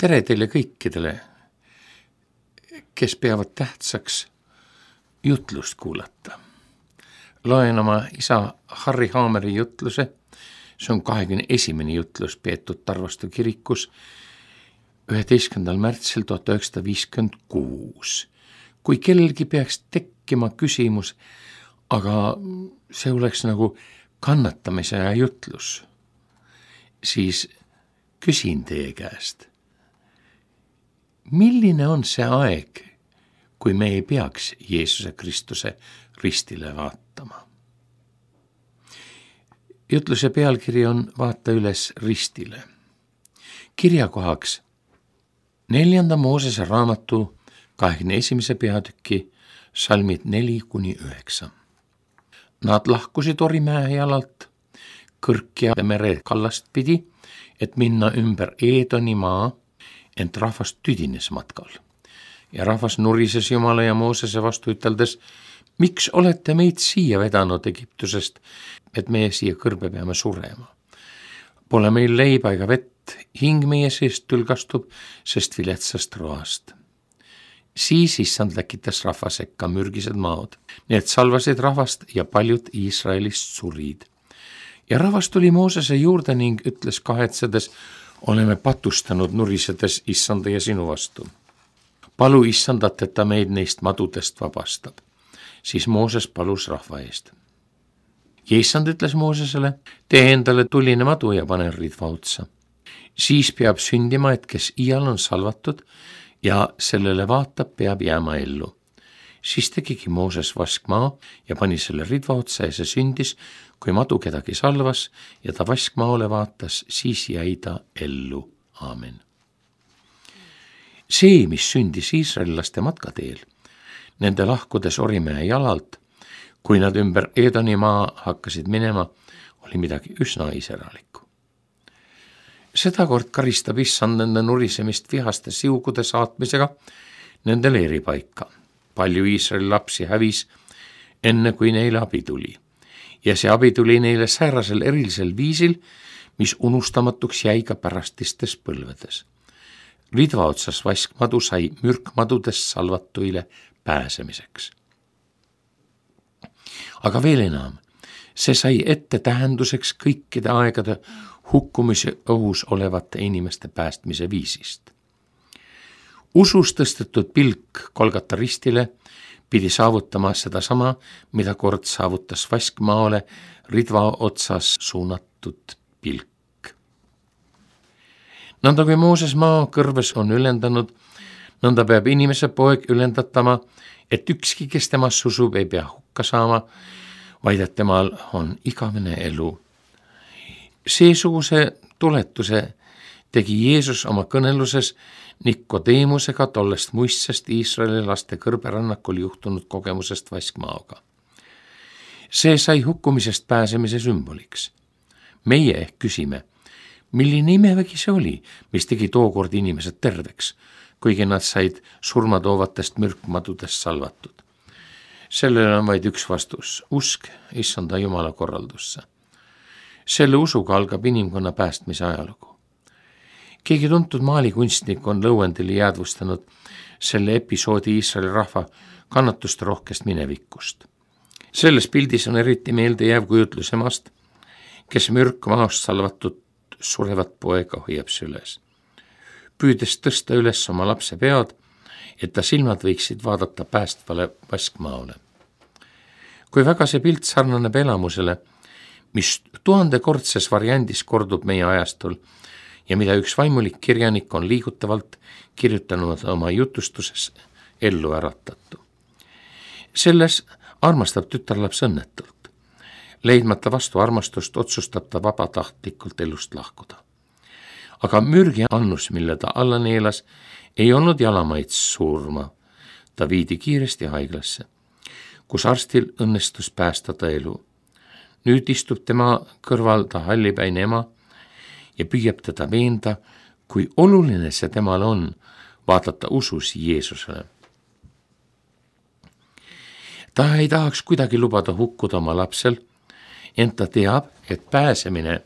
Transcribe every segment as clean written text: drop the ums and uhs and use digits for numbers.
Tere teile kõikidele, kes peavad tähtsaks jutlust kuulata. Loen oma isa Harri Haameri jutluse, see on 21. jutlus peetud Tarvastu kirikus 11. märtsil 1956. Kui kellelgi peaks tekkima küsimus, aga see oleks nagu kannatamise ja jutlus, siis küsin teie käest, milline on see aeg, kui me ei peaks Jeesuse Kristuse ristile vaatama? Jutluse pealkiri on Vaata üles ristile. Kirjakohaks 4. Moosese raamatu 21. peatüki salmid 4-9. Nad lahkusid Orimäe jalalt Kõrkja mere kallast pidi, et minna ümber Eedoni maa, ent rahvas tüdines matkal. Ja rahvas nurises Jumala ja Moosese vastu üteldes, miks olete meid siia vedanud Egiptusest, et meie siia kõrbe peame surema? Pole meil leiba ega vett, hing meie seest tülgastub, sest viletsast roast. Siis issand läkitas rahva sekka mürgised maod. Need salvasid rahvast ja paljud Iisraelist surid. Ja rahvas tuli Moosese juurde ning ütles kahetsedes, oleme patustanud nurisedes issanda ja sinu vastu. Palu issandat, et ta meid neist madudest vabastab. Siis Mooses palus rahva eest. Ja issand ütles Moosesele, tee endale tuline madu ja pane ridva otsa. Siis peab sündima, et kes iial on salvatud ja sellele vaatab, peab jääma ellu. Siis tegigi Mooses vaskmaa ja pani selle ridva otsa ja see sündis, kui madu kedagi salvas ja ta vaskmaole vaatas, siis jäi ta ellu. Aamen. See, mis sündis iisraellaste matkateel, nende lahkudes Orimäe jalalt, kui nad ümber Eedoni maa hakkasid minema, oli midagi üsna iseralikku. Sedakord karistab issand nende nurisemist vihaste siugude saatmisega nende leeripaika. Palju Iisraeli lapsi hävis, enne kui neile abi tuli. Ja see abi tuli neile säärasel erilisel viisil, mis unustamatuks jäi ka pärastistes põlvedes. Ridva otsas vaskmadu sai mürkmadudest salvatuile pääsemiseks. Aga veel enam, see sai ette tähenduseks kõikide aegade hukkumise ohus olevate inimeste päästmise viisist. Usus tõstetud pilk Golgata ristile pidi saavutama sedasama, mida kord saavutas vaskmaole ridva otsas suunatud pilk. Nõnda kui Mooses maa kõrves on ülendanud, nõnda peab inimese poeg ülendatama, et ükski, kes temasse usub, ei pea hukka saama, vaid et temal on igavene elu. Seesuguse tuletuse tegi Jeesus oma kõneluses Nikodeemusega tollest muistsest Iisraeli laste kõrberännakul juhtunud kogemusest vaskmaoga. See sai hukkumisest pääsemise sümboliks. Meie ehk küsime, milline imevägi see oli, mis tegi tookord inimesed terveks, kuigi nad said surmatoovatest mürkmadudest salvatud. Sellele on vaid üks vastus, usk issanda Jumala korraldusse. Selle usuga algab inimkonna päästmise ajalugu. Keegi tuntud maalikunstnik on lõuendili jäädvustanud selle episoodi Iisraeli rahva kannatuste rohkest minevikust. Selles pildis on eriti meelde jääv kujutlus emast, kes mürkmaast salvatud surevat poega hoiab süles. Püüdes tõsta üles oma lapse pead, et ta silmad võiksid vaadata päästvale vaskmaole. Kui väga see pilt sarnaneb elamusele, mis 1000-kordses variandis kordub meie ajastul, ja mida üks vaimulik kirjanik on liigutavalt kirjutanud oma jutustuses ellu äratatu. Selles armastab tütarlaps õnnetult. Leidmata vastu armastust otsustab ta vabatahtlikult elust lahkuda. Aga mürgi annus, mille ta alla neelas, ei olnud jalamaid surma. Ta viidi kiiresti haiglasse, kus arstil õnnestus päästa ta elu. Nüüd istub tema kõrval ta hallipäine ema ja püüab teda veenda, kui oluline see temal on vaadata usus Jeesusele. Ta ei tahaks kuidagi lubada hukkuda oma lapsel, ent ta teab, et pääsemine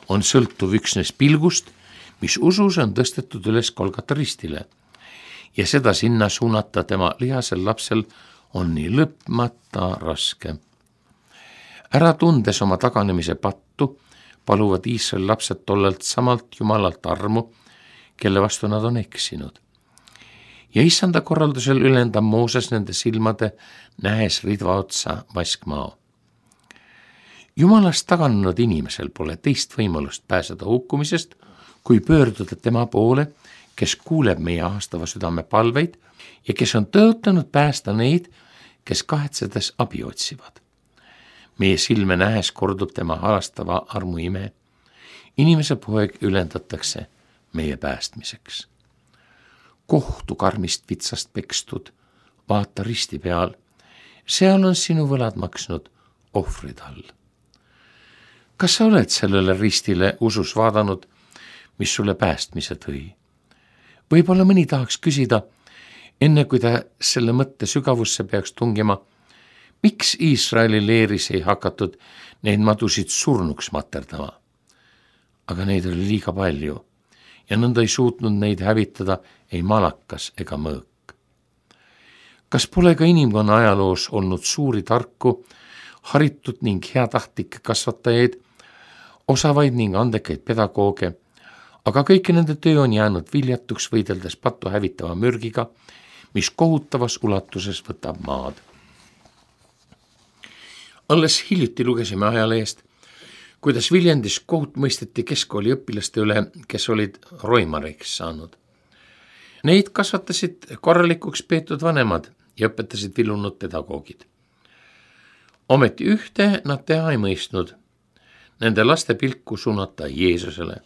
on sõltuv üksnes pilgust, mis usus on tõstetud üles Golgata ristile ja seda sinna suunata tema lihasel lapsel on nii lõpmata raske. Ära tundes oma taganemise pattu, paluvad Iisraeli lapsed tollelt samalt Jumalalt armu, kelle vastu nad on eksinud. Ja issanda korraldusel ülendab Mooses nende silmade, nähes ridva otsa vaskmao. Jumalast taganenud inimesel pole teist võimalust pääseda hukkumisest, kui pöörduda tema poole, kes kuuleb meie ahastava südame palveid ja kes on tõotanud päästa neid, kes kahetsedes abi otsivad. Meie silme nähes kordub tema halastava armu ime. Inimese poeg ülendatakse meie päästmiseks. Kohtu karmist vitsast pekstud, vaata risti peal, seal on sinu võlad maksnud ohvrid all. Kas sa oled sellele ristile usus vaadanud, mis sulle päästmise tõi? Võib-olla mõni tahaks küsida, enne kui ta selle mõtte sügavusse peaks tungima, miks Iisraeli leeris ei hakatud neid madusid surnuks materdama? Aga neid oli liiga palju ja nõnda ei suutnud neid hävitada ei malakas ega mõõk. Kas pole ka inimkonna ajaloos olnud suuri tarku, haritud ning heatahtlikke kasvatajaid, osavaid ning andekaid pedagooge, aga kõiki nende töö on jäänud viljatuks võideldes patu hävitava mürgiga, mis kohutavas ulatuses võtab maad. Alles hiljuti lugesime ajalehest, kuidas Viljandis kohut mõisteti keskkooli õpilaste üle, kes olid roimariks saanud. Neid kasvatasid korralikuks peetud vanemad ja õpetasid vilunud pedagoogid. Ometi ühte nad teha ei mõistnud, nende laste pilku suunata Jeesusele.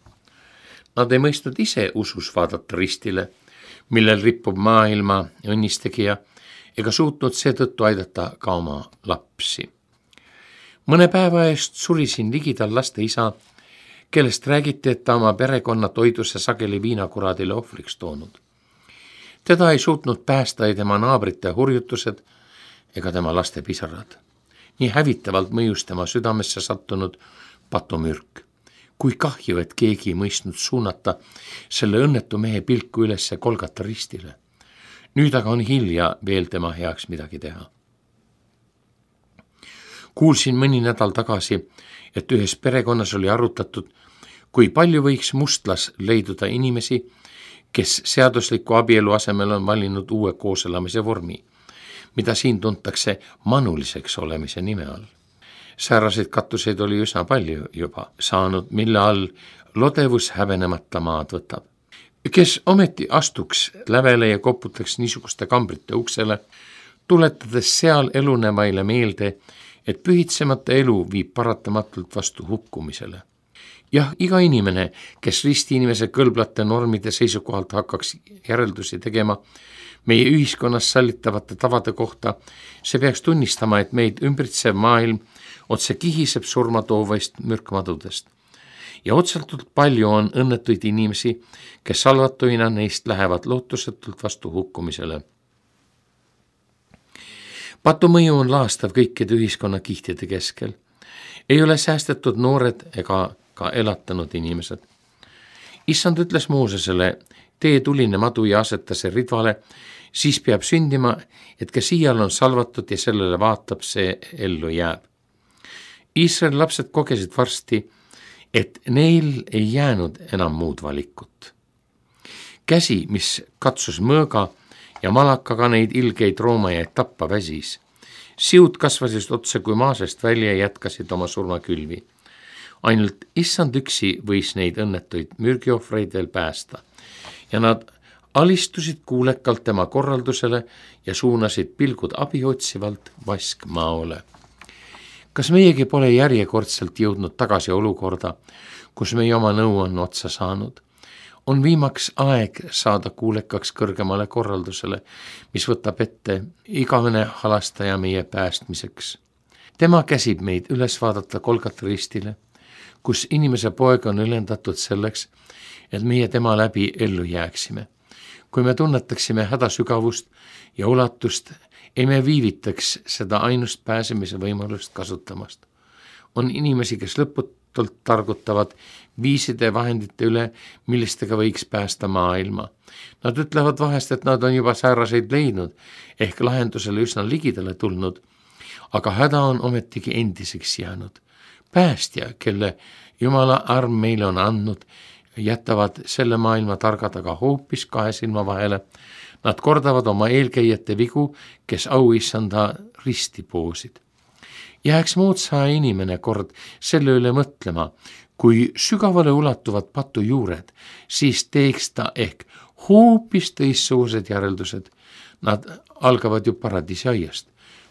Nad ei mõistnud ise usus vaadata ristile, millel rippub maailma õnnistegija, ega suutnud seetõttu aidata ka oma lapsi. Mõne päeva eest surisin ligidal laste isa, kellest räägiti, et ta oma perekonna toiduse sageli viinakuraadile ohvriks toonud. Teda ei suutnud päästa ei tema naabrite hurjutused ega tema laste pisarad. Nii hävitavalt mõjus tema südamesse sattunud patumürk. Kui kahju, et keegi ei mõistnud suunata selle õnnetu mehe pilku ülesse Golgata ristile. Nüüd aga on hilja veel tema heaks midagi teha. Kuulsin mõni nädal tagasi, et ühes perekonnas oli arutatud, kui palju võiks mustlas leiduda inimesi, kes seadusliku abielu asemel on valinud uue kooselamise vormi, mida siin tuntakse manuliseks olemise nime all. Sääraseid kattuseid oli üsna palju juba saanud, mille all lodevus häbenemata maad võtab. Kes ometi astuks lävele ja koputaks niisuguste kambrite uksele, tuletades seal elunevaile meelde, et pühitsemata elu viib paratamatult vastu hukkumisele. Jah, iga inimene, kes ristiinimese kõlblate normide seisukohalt hakkaks järeldusi tegema meie ühiskonnas sallitavate tavade kohta, see peaks tunnistama, et meid ümbritsev maailm otse kihiseb surmatoovast mürkmadudest. Ja otsaltult palju on õnnetuid inimesi, kes salvatuina neist lähevad lootusetult vastu hukkumisele. Patumõju on laastav kõikide ühiskonna kihtide keskel. Ei ole säästetud noored ega ka elatanud inimesed. Issand ütles Moosesele, tee tuline madu ja aseta see ridvale, siis peab sündima, et kes iial on salvatud ja sellele vaatab, see ellu jääb. Iisraeli lapsed kogesid varsti, et neil ei jäänud enam muud valikut. Käsi, mis katsus mõõga ja malakaga neid ilgeid roomajaid tappa väsis. Siud kasvasid otse kui maasest välja ja jätkasid oma surmakülvi. Ainult issand üksi võis neid õnnetuid mürgiohvreid veel päästa ja nad alistusid kuulekalt tema korraldusele ja suunasid pilgud abi otsivalt vaskmaole. Kas meiegi pole järjekordselt jõudnud tagasi olukorda, kus meie oma nõu on otsa saanud? On viimaks aeg saada kuulekaks kõrgemale korraldusele, mis võtab ette igavene halastaja meie päästmiseks. Tema käsib meid üles vaadata Golgata ristile, kus inimese poeg on ülendatud selleks, et meie tema läbi ellu jääksime. Kui me tunnetaksime häda sügavust ja ulatust, ei me viivitaks seda ainust pääsemise võimalust kasutamast. On inimesi, kes arutult targutavad viiside vahendite üle, millistega võiks päästa maailma. Nad ütlevad vahest, et nad on juba sääraseid leidnud, ehk lahendusele üsna ligidale tulnud, aga häda on ometigi endiseks jäänud. Päästja, kelle Jumala arm meile on andnud, jätavad selle maailma targad aga hoopis kahe silma vahele. Nad kordavad oma eelkäijate vigu, kes auissanda risti poosid. Jääks moodsa inimene kord selle üle mõtlema, kui sügavale ulatuvad patu juured, siis teeks ta ehk hoopis teistsugused järeldused. Nad algavad ju paradiisiaiast,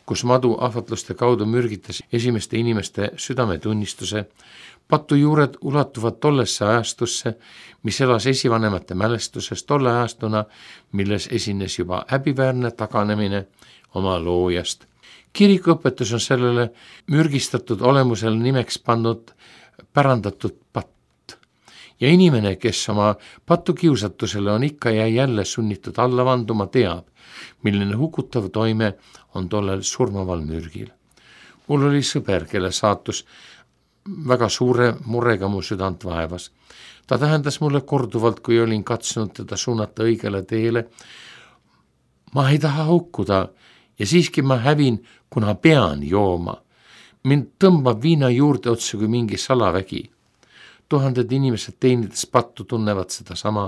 kus madu ahvatluste kaudu mürgitas esimeste inimeste südametunnistuse. Patu juured ulatuvad tollesse ajastusse, mis elas esivanemate mälestuses tolle ajastuna, milles esines juba häbiväärne taganemine oma loojast. Kirikuõpetus on sellele mürgistatud olemusel nimeks pannud pärandatud patt. Ja inimene, kes oma patukiusatusele on ikka ja jälle sunnitud alla vanduma, teab, milline hukutav toime on tollel surmaval mürgil. Mul oli sõber, kelle saatus väga suure murega mu südant vaevas. Ta tähendas mulle korduvalt, kui olin katsunud teda suunata õigele teele. Ma ei taha hukkuda ja siiski ma hävin, kuna pean jooma. Mind tõmbab viina juurde otsa kui mingi salavägi. Tuhanded inimesed teenides pattu tunnevad seda sama.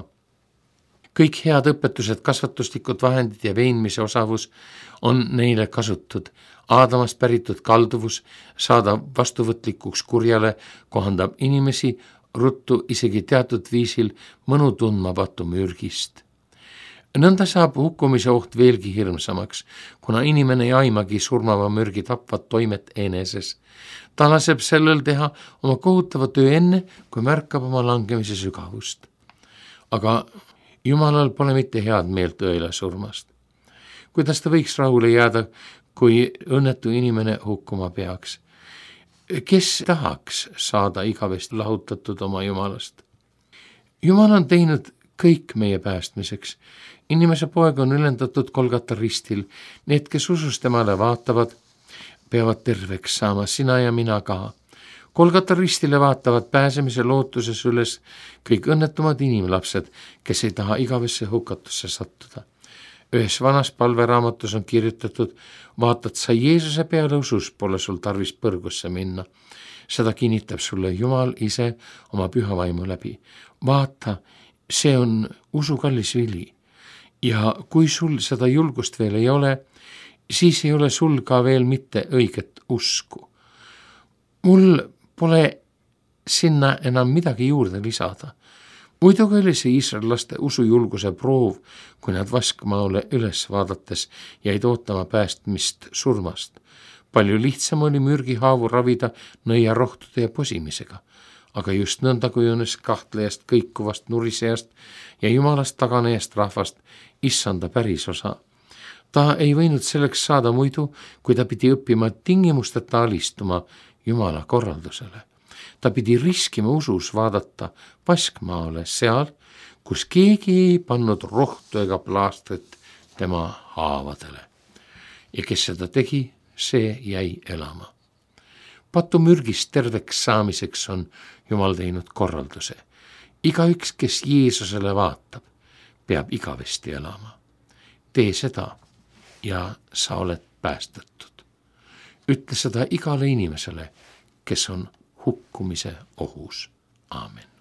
Kõik head õpetused, kasvatuslikud vahendid ja veenmise osavus on neile kasutud. Aadamast päritud kalduvus saada vastuvõtlikuks kurjale kohandab inimesi ruttu isegi teatud viisil mõnu tundmatu mürgist. Nõnda saab hukkumise oht veelgi hirmsamaks, kuna inimene ei aimagi surmava mürgi tapvat toimet eneses. Ta laseb sellel teha oma kohutava töö enne, kui märkab oma langemise sügavust. Aga Jumalal pole mitte head meelt õela surmast. Kuidas ta võiks rahule jääda, kui õnnetu inimene hukkuma peaks? Kes tahaks saada igavesti lahutatud oma Jumalast? Jumal on teinud kõik meie päästmiseks. Inimese poeg on ülendatud Golgata ristil. Need, kes usus temale vaatavad, peavad terveks saama, sina ja mina ka. Golgata ristile vaatavad pääsemise lootuses üles kõik õnnetumad inimlapsed, kes ei taha igavesse hukatusse sattuda. Ühes vanas palveraamatus on kirjutatud, vaatad sa Jeesuse peale usus, pole sul tarvis põrgusse minna. Seda kinnitab sulle Jumal ise oma püha vaimu läbi. Vaata, see on usu kallis vili. Ja kui sul seda julgust veel ei ole, siis ei ole sul ka veel mitte õiget usku. Mul pole sinna enam midagi juurde lisada. Muidugi oli see iisraellaste usujulguse proov, kui nad vaskmaale üles vaadates jäid ootama päästmist surmast. Palju lihtsam oli mürgihaavu ravida nõiarohtude ja posimisega, aga just nõnda kujunes kahtlejast, kõikuvast, nurisejast ja Jumalast taganejast rahvast issanda pärisosa. Ta ei võinud selleks saada muidu, kui ta pidi õppima tingimusteta alistuma Jumala korraldusele. Ta pidi riskima usus vaadata vaskmaale seal, kus keegi ei pannud rohtu ega plaastrit tema haavadele. Ja kes seda tegi, see jäi elama. Patumürgist terveks saamiseks on Jumal teinud korralduse. Igaüks, kes Jeesusele vaatab, peab igavesti elama. Tee seda ja sa oled päästetud. Ütle seda igale inimesele, kes on hukkumise ohus. Aamen.